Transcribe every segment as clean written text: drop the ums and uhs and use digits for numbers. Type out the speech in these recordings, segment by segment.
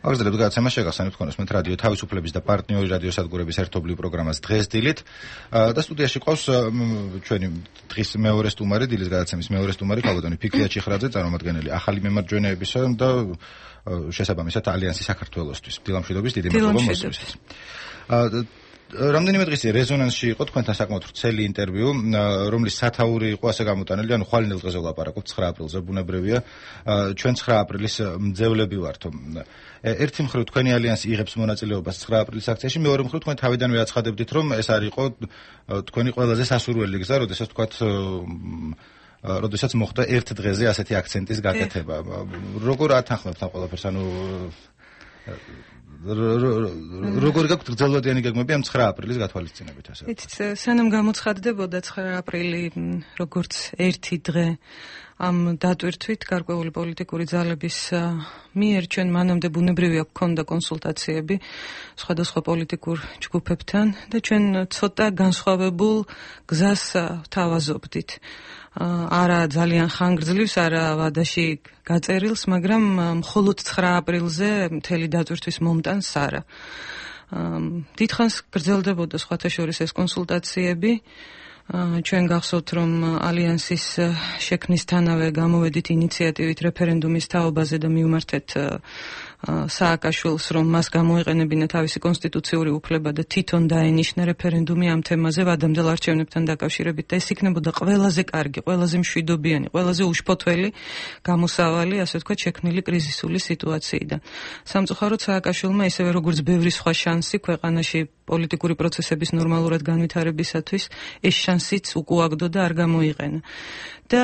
აგრძელებთ გადაცემა შეგახსენებთ თქვენს მე რადიო თავისუფლების და პარტნიორი რადიოსადგურების ერთობლივ პროგრამას დღეს დილით და სტუდიაში ყავს ჩვენი დღის მეორე სტუმარი, დილის გადაცემის მეორე სტუმარი ქალბატონი ფიქრია ჩიხრაძე, წარმომადგენელი ახალი მემარჯვენეებისა და შესაბამისად ალიანსი საქართველოსთვის. დილამშვიდობის, დიდი მადლობა მოსვლისთვის. რამდენიმე დღის რეზონანსში იყო თქვენთან საკმაოდ ვრცელი ინტერვიუ, რომლის სათაური იყო ასე გამოტანილი, ანუ ხვალინდელ დღეზე ვლაპარაკობთ 9 აპრილზე, ბუნებრივია, ჩვენ 9 აპრილის მძევლები ვართო. ერთი მხრივ თქვენი ალიანსი იღებს მონაწილეობას 9 აპრილის აქციაში, მეორე მხრივ თქვენ თავიდანვე აცხადებდით, რომ ეს არ იყო თქვენი ყველაზე სასურველი გზა, როდესაც მოხდა ერთ დღეზე ასეთი აქცენტის გაკეთება. როგორ ათანხმებთ ამ ყველაფერს, ანუ როგორ გაქვთ გრძელვადიანი გეგმები ამ 9 აპრილის გათვალისწინებით ასე? იცით, სანამ გამოცხადდებოდა 9 აპრილი როგორც ერთი დღე ამ დატვირთვით გარკვეული პოლიტიკური ძალების მიერ ჩვენ მანამდე ბუნებრივია გქონდა კონსულტაციები სხვადასხვა პოლიტიკურ ჯგუფებთან და ჩვენ ცოტა განსხვავებულ გზას თავაზობდით. არა ძალიან ხანგრძლივს, არა ვადაში გაწერილს, მაგრამ მხოლოდ 9 აპრილზე მთელი დატვირთვის მომტანს არა. დიდხანს გრძელდებოდა სხვათა შორის ეს კონსულტაციები. ჩვენ გახსოვთ, რომ ალიანსის შექმნისთანავე გამოვედით ინიციატივით რეფერენდუმის თაობაზე და მივმართეთ სააკაშვილს, რომ მას გამოეყენებინა თავისი კონსტიტუციური უფლება და თვითონ დაენიშნა რეფერენდუმი ამ თემაზე ვადამდელ არჩევნებთან დაკავშირებით და ეს იქნებოდა ყველაზე კარგი, ყველაზე მშვიდობიანი, ყველაზე უშფოთველი გამოსავალი, ასე ვთქვათ, შექმნილი კრიზისული სიტუაციიდან. სამწუხაროდ სააკაშვილმა ისევე როგორც ბევრი სხვა შანსი ქვეყანაში პოლიტიკური პროცესების ნორმალურად განვითარებისათვის ეს შანსიც უკუაგდო და არ გამოიყენა. და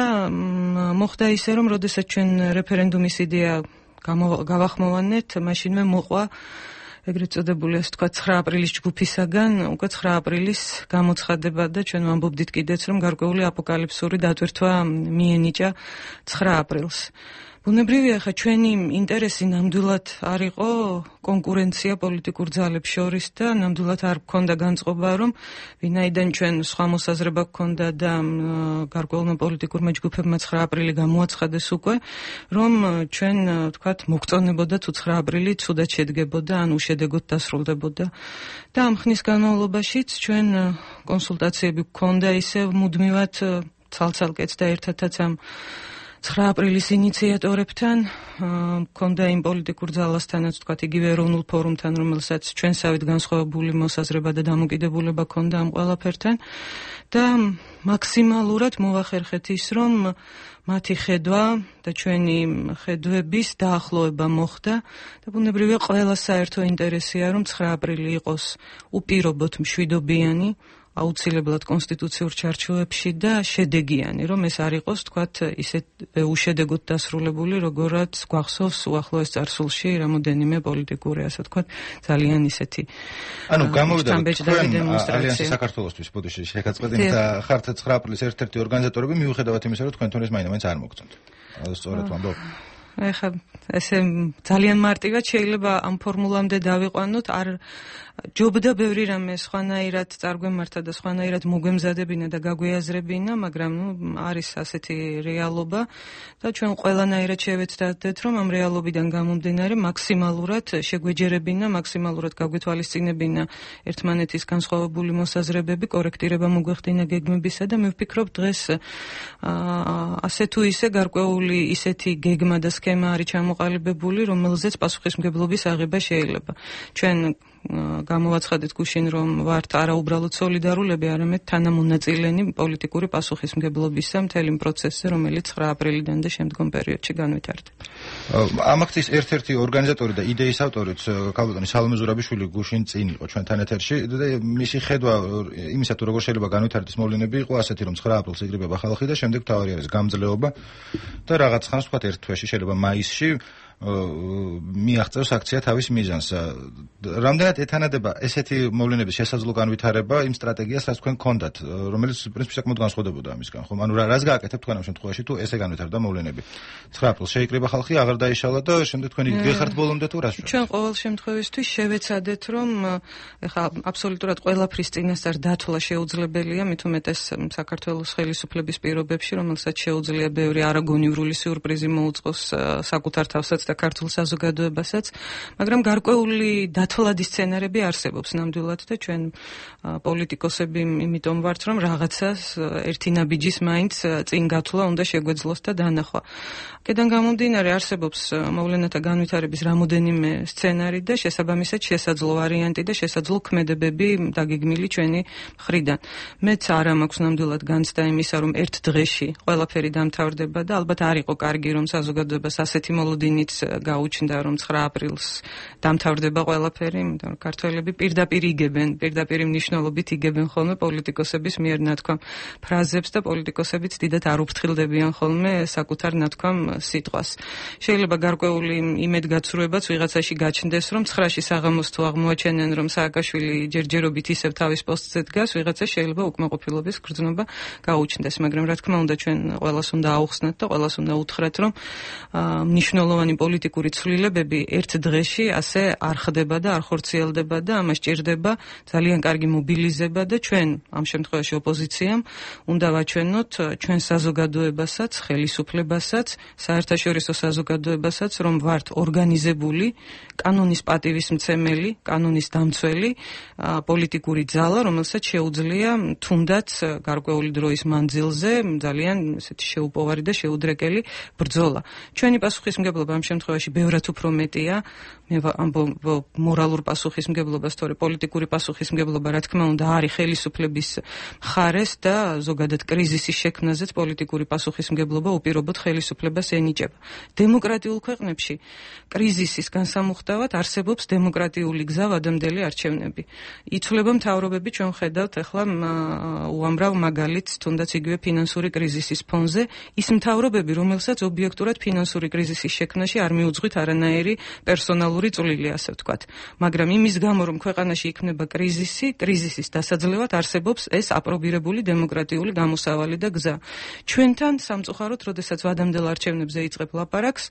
მოხდა ისე, რომ როდესაც ჩვენ რეფერენდუმის იდეა გავახმოვანეთ, მაშინვე მოყვა ეგრეთ წოდებული, ასე ვთქვათ, 9 აპრილის ჯგუფისაგან უკვე 9 აპრილის გამოცხადება და ჩვენ ვამბობდით კიდეც, რომ გარკვეული აპოკალიფსური დატვირთვა მიენიჭა 9 აპრილს. ბუნებრივია, ხა ჩვენი ინტერესი ნამდვილად არ იყო კონკურენცია პოლიტიკურ ძალებს შორის და ნამდვილად არ გქონდა განწყობა, რომ ვინაიდან ჩვენ სხვა მოსაზრება გქონდა და გარკვეულმა პოლიტიკურმა ჯგუფებმა 9 აპრილი გამოაცხადეს უკვე, რომ ჩვენ ვთქვათ მოგწონებოდა თუ 9 აპრილი ცუდად შედგებოდა, ან უშედეგოდ დასრულდებოდა. და ამ ხნის განმავლობაშიც ჩვენ კონსულტაციები გქონდა ისევ მუდმივად ცალ-ცალკეც და ერთადაც ამ 9 აპრილის ინიციატორებთან, მქონდა იმ პოლიტიკურ ძალასთანაც, ვთქვათ, იგივე ეროვნულ ფორუმთან, რომელსაც ჩვენსავით განსხვავებული მოსაზრება და დამოკიდებულება ჰქონდა ამ ყველაფერთან და მაქსიმალურად მოვახერხეთ ის, რომ მათი ხედვა და ჩვენი ხედვების დაახლოება მოხდა და ბუნებრივია ყველა საერთო ინტერესია, რომ 9 აპრილი იყოს უპირობოდ მშვიდობიანი, აუცილებლად კონსტიტუციურ ჩარჩოებში და შედეგიანი, რომ ეს არ იყოს, თქვათ, ისეთ უშედეგოდ დასრულებული, როგორაც გვახსოვს უახლოეს წარსულში რამოდენიმე პოლიტიკური, ასე ვთქვათ, ძალიან ისეთი. ანუ გამოვიდა ალიანსი საქართველოსთვის ბოდიში შეგაწყვეტინეთ და ხართ 9 აპრილის ერთ-ერთი ორგანიზატორები, მიუხედავად იმისა, რომ თქვენ თორეს მაინც არ მოგწონთ. სწორად ვამბობ. ეხლა ესე ძალიან მარტივად შეიძლება ამ ფორმულამდე დავიყვანოთ, არ ჯობდა ბევრი რამე სხვანაირად წარგვემართა და სხვანაირად მოგვემზადებინა და გაგვეაზრებინა, მაგრამ არის ასეთი რეალობა და ჩვენ ყველანაირად შევეცდათ, რომ ამ რეალობიდან გამომდინარე მაქსიმალურად შეგვეჯერებინა, მაქსიმალურად გაგვეთვალისწინებინა ერთმანეთის განსხვავებული მოსაზრებები, კორექტირება მოგვეხდინა გეგმებისა და მე ვფიქრობ დღეს ასე თუ ისე გარკვეული ისეთი გეგმა და სქემა არის ჩამოყალიბებული, რომელზეც პასუხისმგებლობის აღება შეიძლება. ჩვენ გამოვაცხადეთ გუშინ, რომ ვართ არა უბრალოდ სოლიდარულები, არამედ თანამონაწილენი პოლიტიკური პასუხისმგებლობისა მთელი პროცესზე, რომელიც 9 აპრილიდან და შემდგომ პერიოდში განვითარდება. ამ აქციის ერთ-ერთი ორგანიზატორი და იდეის ავტორიც ქალბატონი სალომე ზურაბიშვილი გუშინ წინ იყო ჩვენთან ეთერში და მისი ხედვა იმისა თუ როგორ შეიძლება განვითარდეს მოვლენები იყო ასეთი, რომ 9 აპრილს იკრიბება ხალხი და შემდეგ თავარი არის გამძლეობა და რაღაც ხანს ვთქვათ ერთ თვეში, შეიძლება მაისში მიაღწევს აქცია თავის მიზანს. რამდენად ეთანადება ესეთი მოვლენების შესაძლო განვითარება იმ სტრატეგიას, რაც თქვენ გქონდათ, რომელიც პრინციპში საკმაოდ განსხვავდებოდა ამისგან, ხო? ანუ რას გააკეთებთ თქვენ ამ შემთხვევაში, თუ ესე განვითარდა მოვლენები? 9 აპრილს შეიკრიბა ხალხი, აღარ დაიშალა და შემდეგ თქვენი გეხართ ბოლომდე თუ რას? ჩვენ ყოველ შემთხვევისთვის შევეცადეთ, რომ ეხლა აბსოლუტურად ყველაფრის წინასწარ დათვლა შეუძლებელია, მით უმეტეს საქართველოს ხელისუფლების პირობებში, რომელსაც შეუძლია ბევრი არაგონივრული სიურპრიზი მოუწყოს საკუთარ თავსაც და ქართულ საზოგადოებასაც, მაგრამ გარკვეული დათვლადი სცენარები არსებობს ნამდვილად და ჩვენ პოლიტიკოსები იმიტომ ვართ, რომ რაღაცას ერთი ნაბიჯის მაინც წინ გათვლა უნდა შეგვეძლოს და დანახვა. აქედან გამომდინარე არსებობს მოვლენათა განვითარების რამოდენიმე სცენარი და შესაბამისად შესაძლო ვარიანტი და შესაძლო ქმედებები დაგეგმილი ჩვენი მხრიდან. მეც არ მაქვს ნამდვილად განცდა იმისა, რომ ერთ დღეში ყველაფერი დამთავრდება და ალბათ არ იყო კარგი, რომ საზოგადოებას ასეთი მოლოდინით გაუჩნდა, რომ 9 აპრილს დამთავრდება ყველაფერი, იმიტომ რომ ქართველები პირდაპირ მნიშვნელობით იგებენ ხოლმე პოლიტიკოსების მიერ ნათქვამ ფრაზებს და პოლიტიკოსებიც დიდად არ უფრთხილდებიან ხოლმე საკუთარ ნათქვამ სიტყვას. შეიძლება გარკვეული იმედგაცრუებაც ვიღაცაში გაჩნდეს, რომ 9-ში საღამოს თუ აღმოაჩენენ, რომ სააკაშვილი ჯერჯერობით ისევ თავის პოსტზე დგას, ვიღაცა შეიძლება უკმაყოფილების გრძნობა გაუჩნდეს, მაგრამ რა თქმა უნდა ჩვენ ყველას უნდა აუხსნათ და ყველას უნდა უთხრათ, რომ მნიშვნელოვანი პოლიტიკური ცვლილებები ერთ დღეში ასე არ ხდება და არ ხორციელდება და ამას ჭირდება ძალიან კარგი მობილიზება და ჩვენ ამ შემთხვევაში ოპოზიციამ უნდა ვაჩვენოთ ჩვენ საზოგადოებასაც, ხელისუფლებასაც, საერთაშორისო საზოგადოებასაც, რომ ვართ ორგანიზებული, კანონის პატივისმცემელი, კანონის დამცველი პოლიტიკური ძალა, რომელსაც შეუძლია თუნდაც გარკვეული დროის მანძილზე ძალიან ესეთი შეუპოვარი და შეუდრეკელი ბრძოლა. ჩვენი პასუხისმგებლობა ამ შემთხვევაში ბევრად უფრო მეტია. მე მორალურ პასუხისმგებლობას, თორე პოლიტიკური პასუხისმგებლობა, რა თქმა უნდა, არის ხელისუფლების მხარეს და ზოგადად კრიზისის შექმნაზეც პოლიტიკური პასუხისმგებლობა უპირობოდ ხელისუფლებას ენიჭება. დემოკრატიულ ქვეყნებში კრიზისის განსამუხტავად არსებობს დემოკრატიული გზა ვადამდელი არჩევნები. იცვლება მთავრობები, ჩვენ ხედავთ ახლა უამრავ მაგალითს, თუნდაც იგივე ფინანსური კრიზისის ფონზე, ის მთავრობები, რომელსაც ობიექტურად ფინანსური კრიზისის შექმნაში არ მიუძღვით არანაირი პერსონალური წვლილი, ასე ვთქვათ. მაგრამ იმის გამო, რომ ქვეყანაში იქმნება კრიზისის დასაძლევად არსებობს ეს აპრობირებული დემოკრატიული გამოსავალი და გზა. ჩვენთან სამწუხაროდ, როდესაც ვადამდელ არჩევნებზე იწყებ ლაპარაკს,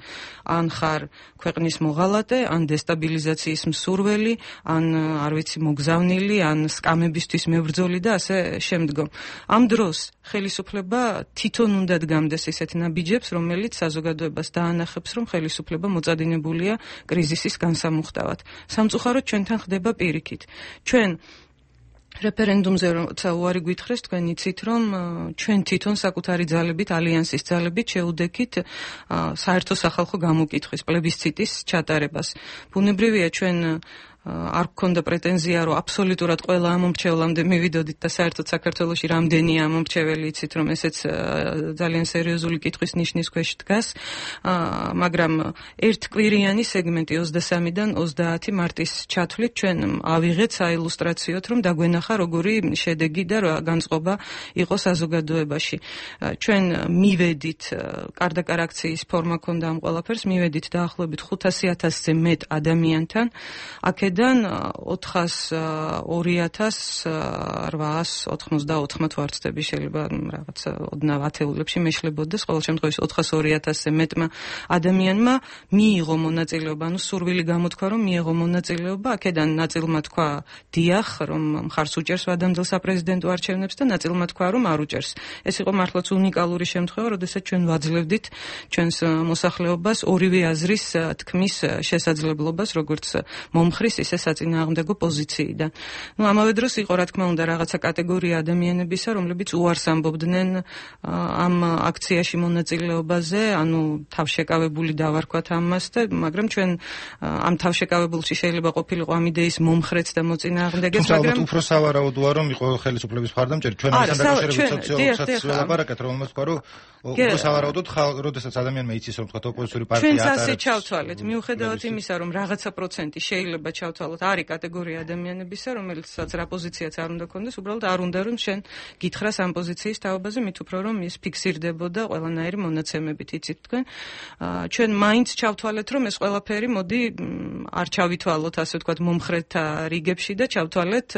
ან ხარ ქვეყნის მოღალატე, ან დესტაბილიზაციის მსურველი, ან არ ვიცი მოგზავნილი, ან სკამებისთვის მებრძოლი და ასე შემდგომ. ამ დროს ხელისუფლება თვითონ უნდა დგამდეს ისეთ ნაბიჯებს, რომელიც საზოგადოებას დაანახებს, რომ ხელისუფლება მოწადინებულია კრიზისის განსამუხტავად. სამწუხაროდ ჩვენთან ხდება პირიქით. ჩვენ რეფერენდუმზე როცა უარი გვითხრეს, თქვენ იცით, რომ ჩვენ თვითონ საკუთარი ძალებით, ალიანსის ძალებით შევუდექით საერთო სახალხო გამოკითხვის პლებისციტის ჩატარებას. ბუნებრივია ჩვენ არ გქონდა პრეტენზია, რომ აბსოლუტურად ყველა ამომრჩევლამდე მივიდოდით და საერთოდ საქართველოში რამდენია ამომრჩეველი, იცით, რომ ესეც ძალიან სერიოზული კითხვის ნიშნის ქვეშ დგას, მაგრამ ერთკვირიანი სეგმენტი 23-დან 30 მარტის ჩათვლით ჩვენ ავიღეთ საილუსტრაციოდ, რომ დაგვენახა როგორი შედეგი და განწყობა იყო საზოგადოებაში. ჩვენ მივედით, კარდაკარ აქციის ფორმა ქონდა ამ ყველაფერს, მივედით დაახლოებით 500,000-ზე მეტ ადამიანთან, აქედან 402,894 თუ არ ვცდები, შეიძლება რაღაცა ოდნავ ათეულებში მეშლებოდეს, ყოველ შემთხვევაში 402,000-ზე მეტმა ადამიანმა მიიღო მონაწილეობა, ანუ სურვილი გამოთქვა, რომ მიიღო მონაწილეობა, აქედან ნაწილმა თქვა დიახ, რომ მხარს უჭერს ვადამდელ საპრეზიდენტო არჩევნებს და ნაწილმა თქვა, რომ არ უჭერს. ეს იყო მართლაც უნიკალური შემთხვევა, როდესაც ჩვენ ვაძლევდით ჩვენს მოსახლეობას ორივე აზრის თქმის შესაძლებლობას, როგორც მომხრის ისე საწინააღმდეგო პოზიციიდან. ამავე დროს იყო, რა თქმა უნდა, რაღაცა კატეგორია ადამიანებისა, რომლებიც უარს ამბობდნენ ამ აქციაში მონაწილეობაზე, ანუ თავშეკავებული დავარქვათ ამას და მაგრამ ჩვენ ამ თავშეკავებულში შეიძლება ყოფილიყო ამ იდეის მომხრეც და მოწინააღმდეგეც, მაგრამ უფრო სავარაუდოა, რომ იყო ხელისუფლების მხარდამჭერი. ჩვენ ამასთან დაკავშირებით სოციოლოგიასაც ველაპარაკეთ, რომელმაც თქვა, რომ უფრო სავარაუდოდ როდესაც ადამიანმა იცის, რომ თქვა ოპოზიციური პარტია ატარებს. ჩვენც ასე ჩავთვალეთ, მიუხედავად იმისა, რომ რაღაცა პროცენტი შეიძლება ჩავთვალოთ, არის კატეგორია ადამიანებისა, რომელსაც რა პოზიციაც არ უნდა ქონდეს, უბრალოდ არ უნდა რომ შენ გითხრას ამ პოზიციის თაობაზე, მით უფრო რომ ის ფიქსირდებოდა ყველანაირი მონაცემებით, იცით თქვენ. ჩვენ მაინც ჩავთვალეთ, რომ ეს ყველაფერი მოდი არ ჩავითვალოთ, ასე ვთქვათ, მომხრეთა რიგებში და ჩავთვალეთ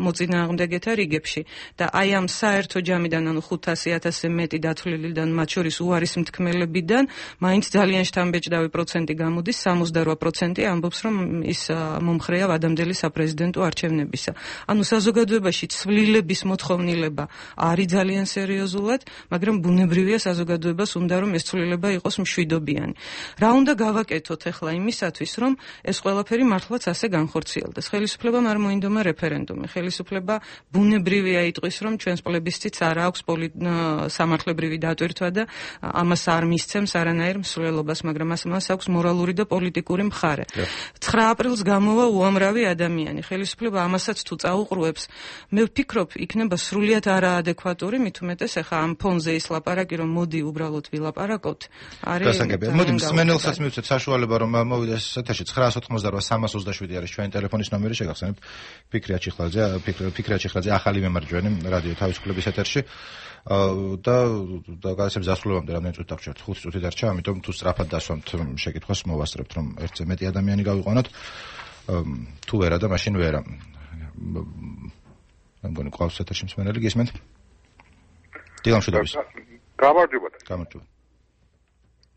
მოწინააღმდეგეთა რიგებში. და აი ამ საერთო ჯამიდან, ანუ 500,000-ზე მეტი დათვლილიდან, მათ შორის უარის მთქმელებიდან, მაინც ძალიან შთამბეჭდავი პროცენტი გამოდის, 68% ამბობს, რომ ის მომხრეა ვადამდელი საპრეზიდენტო არჩევნებისა. ანუ საზოგადოებაში ცვლილების მოთხოვნილება არის ძალიან სერიოზულად, მაგრამ ბუნებრივია საზოგადოებას უნდა რომ ეს ცვლილება იყოს მშვიდობიანი. რა უნდა გავაკეთოთ ახლა იმისათვის, რომ ეს ყველაფერი მართლაც ასე განხორციელდეს. ხელისუფლებამ არ მოინდომა რეფერენდუმი. ხელისუფლება ბუნებრივია იტყვის, რომ ჩვენს პლებისციტს არ აქვს სამართლებრივი დატვირთვა და ამას არ მისცემს არანაირ მსვლელობას, მაგრამ მას აქვს მორალური და პოლიტიკური მხარე. 9 აპრილს გამოვა უამრავი ადამიანი. ხელისუფლება ამასაც თუ წაუყრუებს, მე ვფიქრობ, იქნება სრულიად არაადეკვატური, მით უმეტეს ახლა ამ ფონზე ის ლაპარაკი, რომ მოდი უბრალოდ ვილაპარაკოთ, არის გასაგებია. მოდი მსმენელსაც მივცეთ საშუალება, რომ მოვიდეს ეთერში 988-327 არის ჩვენი ტელეფონის ნომერი, შეგახსენებთ ფიქრია ჩიხლაძე, ახალი მემარჯვენე რადიო თავისუფლების ეთერში. და გადაცემის დასრულებამდე რამდენი წუთი დაგვრჩათ? 5 წუთი დარჩა, ამიტომ თუ სწრაფად დასვამთ შეკითხვას, მოვასწრებთ, რომ ერთზე მეტი ადამიანი გავიყვანოთ. თუ ვერა და მაშინ ვერა. მე მგონი ყავს ეთერში მსმენელი, გისმენთ? დილამშვიდობის. გამარჯობა.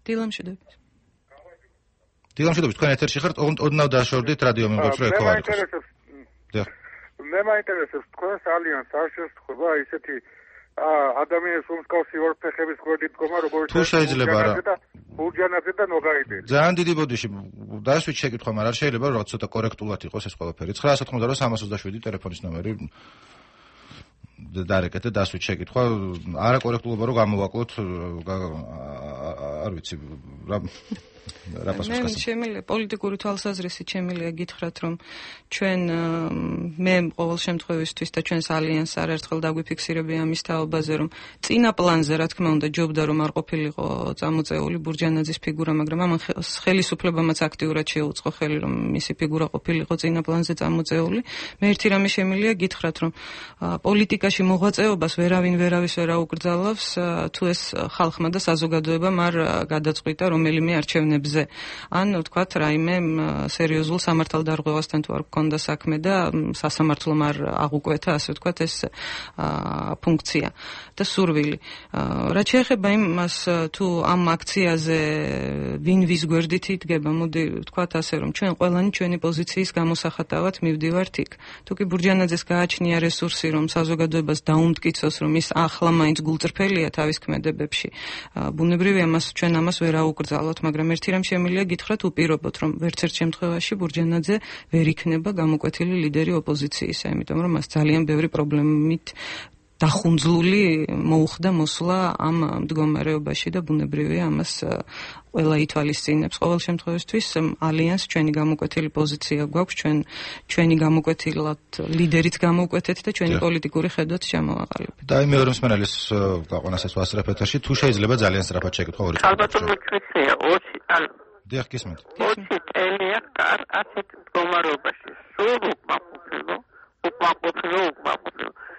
დილამშვიდობის, თქვენ ეთერში ხართ, ოდნავ დაშორდით რადიო მიმღებს, რომ ეკო არ იყოს. მე მაინტერესებს თქვენს ალიანსს არ შესწყვება ისეთი ადამიანის უმსკავსი ორფეხების გვერდით დგომა, როგორც თუ შეიძლება რა. ბურჯანაძე და ნოგაიდელი. ძალიან დიდი ბოდიში დასვით შეკითხვა, მაგრამ არ შეიძლება რომ ცოტა კორექტულად იყოს ეს ყველაფერი. 988-327 ტელეფონის ნომერი დარეკეთ და დასვით შეკითხვა, არაკორექტულობა რომ გამოვაკლოთ, არ ვიცი რა პასუხს გასცემ. შემიძლია პოლიტიკური თვალსაზრისით შემიძლია გითხრათ, რომ ჩვენ მე ყოველ შემთხვევისთვის და ჩვენს ალიანსს არაერთხელ დაგვიფიქსირებია ამის თაობაზე, რომ წინა პლანზე რა თქმა უნდა ჯობდა რომ არ ყოფილიყო წამოწეული ბურჯანაძის ფიგურა, მაგრამ ამან ხელისუფლებამაც აქტიურად შეუწყო ხელი, რომ მისი ფიგურა ყოფილიყო წინა პლანზე წამოწეული. მე ერთი რამე შემიძლია გითხრათ, რომ პოლიტიკაში მოღვაწეობას ვერავის ვერ აუკრძალავს, თუ ეს ხალხმა და საზოგადოებამ არ გადაწყვიტა რომელიმე არჩევნებზე. ან ვთქვათ, რაიმე სერიოზულ სამართალდარღვევასთან თუ არ გქონდა საქმე და სასამართლომ არ აღუკვეთა, ასე ვთქვათ, ეს ფუნქცია და სურვილი. რაც შეეხება იმას, თუ ამ აქციაზე ვინ ვის გვერდით იდგება, მოდი ვთქვათ ასე, რომ ჩვენ ყველანი ჩვენი პოზიციის გამოსახატავად მივდივართ იქ. თუ კი ბურჯანაძეს გააჩნია რესურსი, რომ საზოგადოებას დაუმტკიცოს, რომ ის ახლა მაინც გულწრფელია თავის ქმედებებში, ბუნებრივია ჩვენ ამას ვერ აუკრძალოთ, მაგრამ ერთი რამ შემიძლია გითხრათ უპირობოთ, რომ ვერც ერთ შემთხვევაში ბურჯანაძე ვერ იქნება გამოკვეთილი ლიდერი ოპოზიციისა, იმიტომ რომ მას ძალიან ბევრი პრობლემით დახუნძლული მოუხდა მოსვლა ამ მდგომარეობაში და ბუნებრივია ამას ყველა ითვალისწინებს. ყოველ შემთხვევაში ალიანს ჩვენი გამოკვეთილი პოზიცია გვაქვს, ჩვენი გამოკვეთილად ლიდერიც გამოვკვეთეთ და ჩვენი პოლიტიკური ხედვაც ჩამოვაყალიბეთ. და აი მეორე მსმენელის გაყვანასაც ვასწრებ ეთერში, თუ შეიძლება ძალიან სწრაფად შეკითხვა ორი. ალბათ მეკითხია, დიახ, გისმენთ. 20 წელია ასეთ მდგომარეობაში. სულ უკმაყოფილო.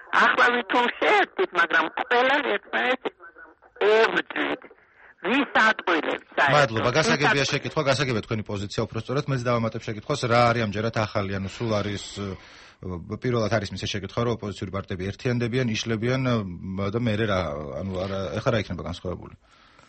ახლა ვითომ შეერთდით, მაგრამ ყველანი ერთმანეთს ებრძვით. ვის ატყუილებს საერთოდ? მადლობა, გასაგებია შეკითხვა, გასაგებია თქვენი პოზიცია უბრალოდ. მეც დავამატებ შეკითხვას, რა არის ამჯერად ახალი, ანუ სულ არის პირველად არის მის შეკითხვა, რომ ოპოზიციური პარტიები ერთიანდებიან, იშლებიან და მე რა, ანუ ეხლა რა იქნება განსხვავებული?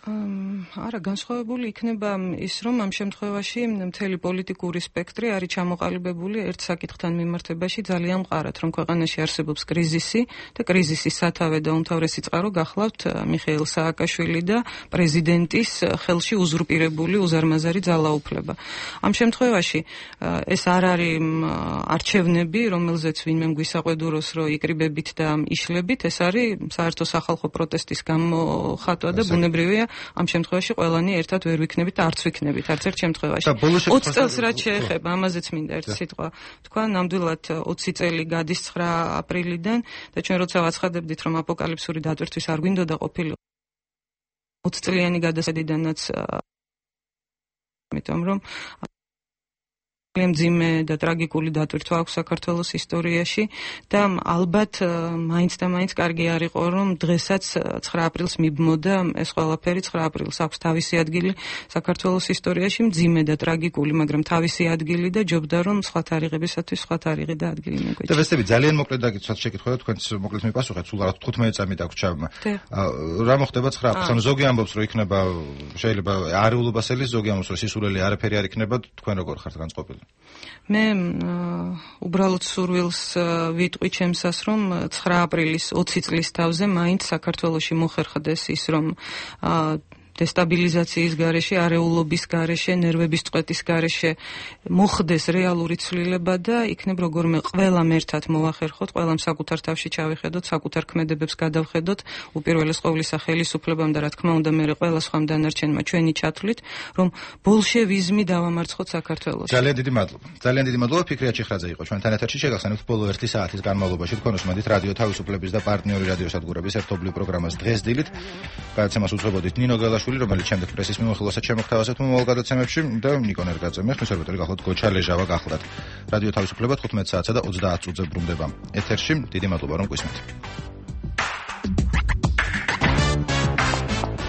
არა, განსხვავებული იქნება ის, რომ ამ შემთხვევაში მთელი პოლიტიკური სპექტრი არის ჩამოყალიბებული ერთ საკითხთან მიმართებაში ძალიან მყარად, რომ ქვეყანაში არსებობს კრიზისი და კრიზისის სათავე და უმთავრესი წყარო გახლავთ მიხეილ სააკაშვილი და პრეზიდენტის ხელში უზურპირებული უზარმაზარი ძალაუფლება. ამ შემთხვევაში ეს არ არის არჩევნები, რომელზეც ვინმე გვისაყვედუროს, რომ იკრიბებით და იშლებით, ეს არის საერთო სახალხო პროტესტის გამოხატვა და ბუნებრივია ამ შემთხვევაში ყველანი ერთად ვერ ვიქნებით და არც ვიქნებით არც ერთ შემთხვევაში. 20 წელს რაც შეეხება, ამაზეც მინდა ერთი სიტყვა თქვა, ნამდვილად 20 წელი გადის 9 აპრილიდან და ჩვენ როცა ვაცხადებდით, რომ აპოკალიფსური დატვირთვის არ გვინდოდა ყოფილიყო 20 წლიანი გადასაიდანაც, იმიტომ რომ მძიმე და ტრაგიკული დატვირთვა აქვს საქართველოს ისტორიაში და ალბათ მაინც და მაინც კარგი არ იყო, რომ დღესაც 9 აპრილს მიბმოდა ეს ყველაფერი. 9 აპრილს აქვს თავისი ადგილი საქართველოს ისტორიაში, მძიმე და ტრაგიკული, მაგრამ თავისი ადგილი და ჯობდა რომ სხვა თარიღებისათვის სხვა თარიღი და ადგილი მიგვეჭირა. და ვესტები ძალიან მოკლედ დაგიცვათ შეკითხვა და თქვენც მოკლედ მიპასუხეთ, სულ არა 15 წამი დაგვრჩა. რა მოხდება 9 აპრილს? ანუ ზოგი ამბობს, რომ იქნება შეიძლება არეულობასელი, ზოგი ამბობს, რომ სისულელი არაფერი არ იქნება, თქვენ როგორ ხართ განწყობილი? მე უბრალოდ სურვილს ვიტყვი ჩემსას, რომ 9 აპრილის 20 წლის თავზე მაინც საქართველოში მოხერხდეს ის, რომ დესტაბილიზაციის გარეშე, არეულობის გარეშე, ნერვების წვეთის გარეშე მოხდეს რეალური ცვლილება და იქნებ როგორმე ყველამ ერთად მოვახერხოთ, ყველამ საკუთარ თავში ჩავიხედოთ, საკუთარ ქმედებებს გადავხედოთ, უპირველეს ყოვლისა ხელისუფლებამ და რა თქმა უნდა მე ყველა სხვა დანარჩენმა ჩვენი ჩათვლით, რომ ბოლშევიზმი დავამარცხოთ საქართველოში. ძალიან დიდი მადლობა. ძალიან დიდი მადლობა. ფიქრია ჩიხრაძე იყო ჩვენთან ეთერში. შეგახსენებთ ბოლო 1 საათის განმავლობაში თქვენ უსმენთ რადიო თავისუფლების და პარტნიორი რადიოსადგურების ერთობლივ პროგრამას დღეს დილით. გადაცემას უძღვებოდით ნინო გელაშვილი, რომელიც შემდეგ პრესის მიმოხილვასაც შემოგთავაზებთ მომავალ გადაცემებში და ნიკო ნერგაძე. მე ხმის რედაქტორი გახლავთ გოჩა ლეჟავა გახლავთ. რადიო თავისუფლება 15 საათსა და 30 წუთზე ბრუნდება ეთერში. დიდი მადლობა რომ გვისმენთ.